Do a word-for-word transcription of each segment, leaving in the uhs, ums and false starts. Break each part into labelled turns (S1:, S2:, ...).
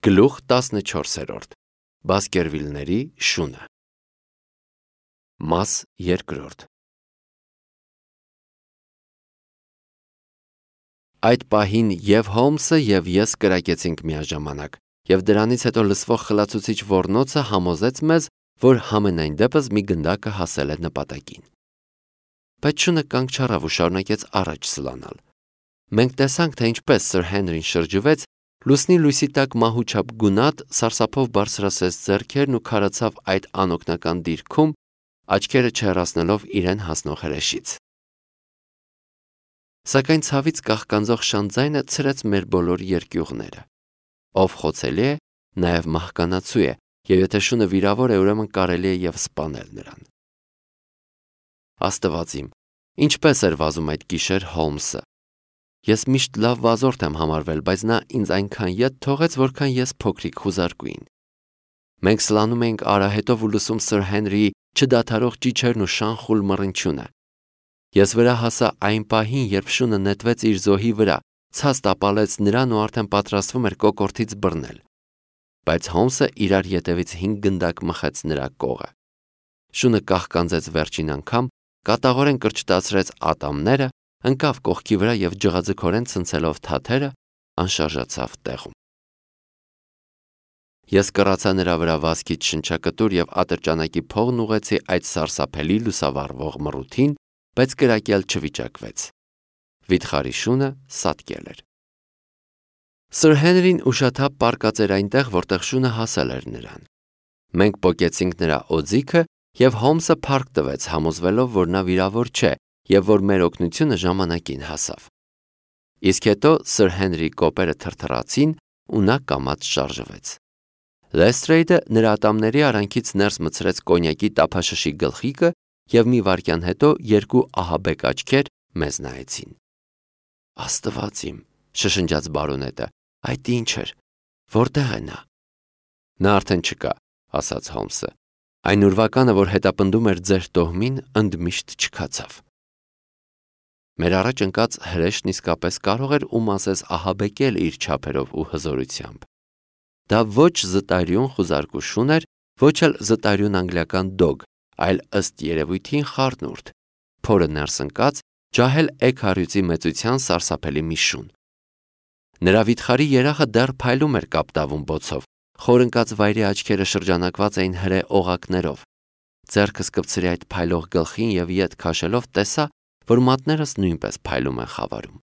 S1: Գլուխ տասնչորսերորդ Բասկերվիլների շունը Մաս երկրորդ Այդ պահին և Հոլմսը և ես կրակեցինք միաժամանակ, և դրանից հետո լսվող խլացուցիչ ոռնոցը համոզեց մեզ, որ համենայն դեպս մի գնդակը հասել է նպատակին։ Բայց շունը կանգ չառավ ու շարունակեց առաջ սլանալ։ Մենք տեսանք, թե ինչպես Սր Հենրին շրջվեց, լուսնի լույսի տակ մահուչափ գունատ սարսափով բարձրացրեց ձեռքերն ու քարացավ այդ անօգնական դիրքում, աչքերը չհեռացնելով իրեն հասնող հրեշից։ Սակայն ցավից կաղկանձող շանձայնը ցրեց մեր բոլոր երկյուղները։ Ով խոցելի է, նաև մահկանացու է, և եթե շունը վիրավոր է, ուրեմն կարելի է և սպանել նրան։ Աստված իմ, ինչպես էր վազում այդ գիշեր Հոլմսը։ Ես միշտ լավ վազորդ եմ համարվել, բայց նա ինձ այնքան ետ թողեց, որքան ես փոքրիկ խուզարկուին։ Մենք սլանում էինք արահետով ու լսում Սր Հենրիի չդադարող ճիչերն ու շանխուլ մռնչյունը։ Ես վրա հասա այն պահին, երբ շունը նետվեց իր զոհի վրա, ցած տապալեց նրան ու արդեն պատրաստվում էր կոկորդից բռնել։ Բայց Հոլմսը իրար ետևից հինգ գնդակ մխեց նրա կողը։ Շունը կաղկանձեց վերջին անգամ, կատաղորեն կրճտացրեց ատամները, ընկավ կողքի վրա և ջղաձգորեն ցնցելով թաթերը, անշարժացավ տեղում։ Ես կռացա նրա վրա վազքից շնչակտուր և ատրճանակի փողն ուղղեցի այդ սարսափելի լուսավառվող մռութին, բայց կրակել չվիճակվեց։ Վիթխարի շունը սատկել էր։ Սր Հենրին ուշաթափ պառկած էր այնտեղ, որտեղ շունը հասել էր նրան։ Մենք պոկեցինք նրա օձիքը, և Հոլմսը փառք տվեց, համոզվելով, որ նա վիրավոր չէ և որ մեր օգնությունը ժամանակին հասավ։ Իսկ հետո Սր Հենրիի կոպերը թրթռացին ու նա կամաց շարժվեց։ Լեսթրեյդը նրա ատամների արանքից ներս մտցրեց կոնյակի տափաշշի գլխիկը և մի վայրկյան հետո երկու ահաբեկ աչքեր մեզ նայեցին։ Աստված իմ, շշնջաց բարոնետը, այդ ի՞նչ էր, որտե՞ղ է նա։ Նա արդեն չկա, ասաց Հոլմսը։ Այն ուրվականը, որ հետապնդում էր ձեր տոհմին, ընդմիշտ չքացավ։ Մեր առաջ ընկած հրեշն իսկապես կարող էր ում ասես ահաբեկել իր չափերով ու հզորությամբ։ Դա ոչ զտարյուն խուզարկու շուն էր, ոչ էլ զտարյուն անգլիական դոգ, այլ ըստ երևույթին խառնուրդ, փորը ներս ընկած, ջահել էգ-հարյուծի մեծության սարսափելի մի շուն։ Նրա վիթխարի երախը դեռ փայլում էր կապտավուն բոցով, խորընկած վայրի աչքերը շրջանակված էին հրե օղակներով։ Ձեռքս կպցրի այդ փայլող գլխին և ետ քաշելով տեսա, որ մատներս նույնպես փայլում են խավարում։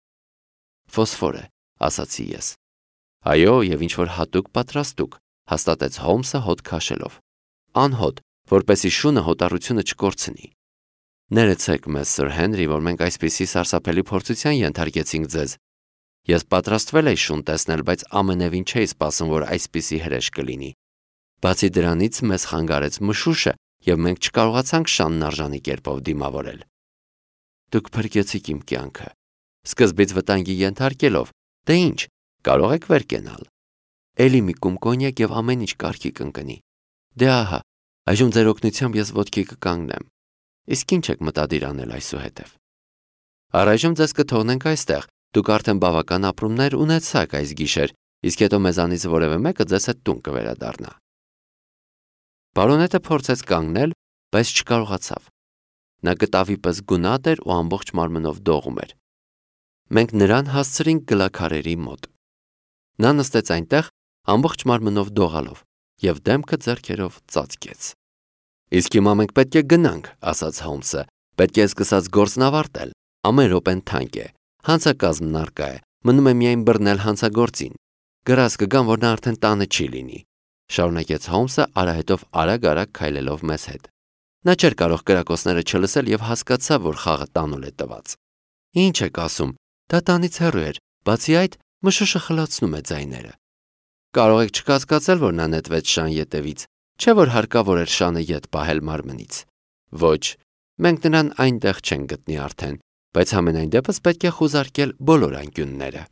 S1: Ֆոսֆոր է, ասացի ես։ Այո, և ինչ-որ հատուկ պատրաստուկ, հաստատեց Հոլմսը հոտ քաշելով։ Անհոտ, որպեսզի շունը հոտառությունը չկորցնի։ Ներեցեք մեզ, Սր Հենրի, որ մենք այսպիսի սարսափելի փորձության ենթարկեցինք ձեզ։ Ես պատրաստվել էի շուն տեսնել, բայց ամենևին չէի սպասում, որ այսպիսի հրեշ կլինի։ Բացի դրանից մեզ խանգարեց մշուշը, և մենք չկարողացանք շանն արժանի կերպով դիմավորել։ Դուք փրկեցիք իմ կյանքը։ Սկզբից վտանգի ենթարկելով, դե ինչ, կարող եք վեր կենալ։ Էլի մի կում կոնյակ և ամեն ինչ կարգի կընկնի։ Դե ահա, այժմ ձեր օգնությամբ ես ոտքի կկանգնեմ։ Իսկ ինչ եք մտադիր անել այսուհետև։ Առայժմ ձեզ կթողնենք այստեղ, դուք արդեն բավական ապրումներ ունեցաք այս գիշեր, իսկ հետո մեզանից որևէ մեկը ձեզ հետ տուն կվերադառնա։ Բարոնետը փորձեց կանգնել, բայց չկարողացավ։ Նա կտավի պես գունատ էր ու ամբողջ մարմնով դողում էր։ Մենք նրան հասցրինք գլաքարերի մոտ։ Նա նստեց այնտեղ, ամբողջ մարմնով դողալով, և դեմքը ձեռքերով ծածկեց։ Իսկ հիմա մենք պետք է գնանք, ասաց Հոլմսը, պետք է սկսած գործն ավարտել, ամեն րոպեն թանկ է, հանցակազմն առկա է, մնում է միայն բռնել հանցագործին։ Գրազ կգամ, որ նա արդեն տանը չի լինի, շարունակեց Հոլմսը արահետով արագ-արագ քայլելով մեզ հետ։ Նա չէր կարող կրակոցները չլսել և հասկացավ, որ խաղը տանուլ է տված։ Ինչ եք ասում, դա տանից հեռու էր, բացի այդ, մշուշը խլացնում է ձայները։ Կարող եք չկասկածել, որ նա նետվեց շան ետևից, չէ՞ որ հարկավոր էր շանը ետ պահել մարմնից։ Ոչ, մենք նրան այնտեղ չենք գտնի արդեն, բայց համենայն դեպս պետք է խուզարկել բոլոր անկյունները։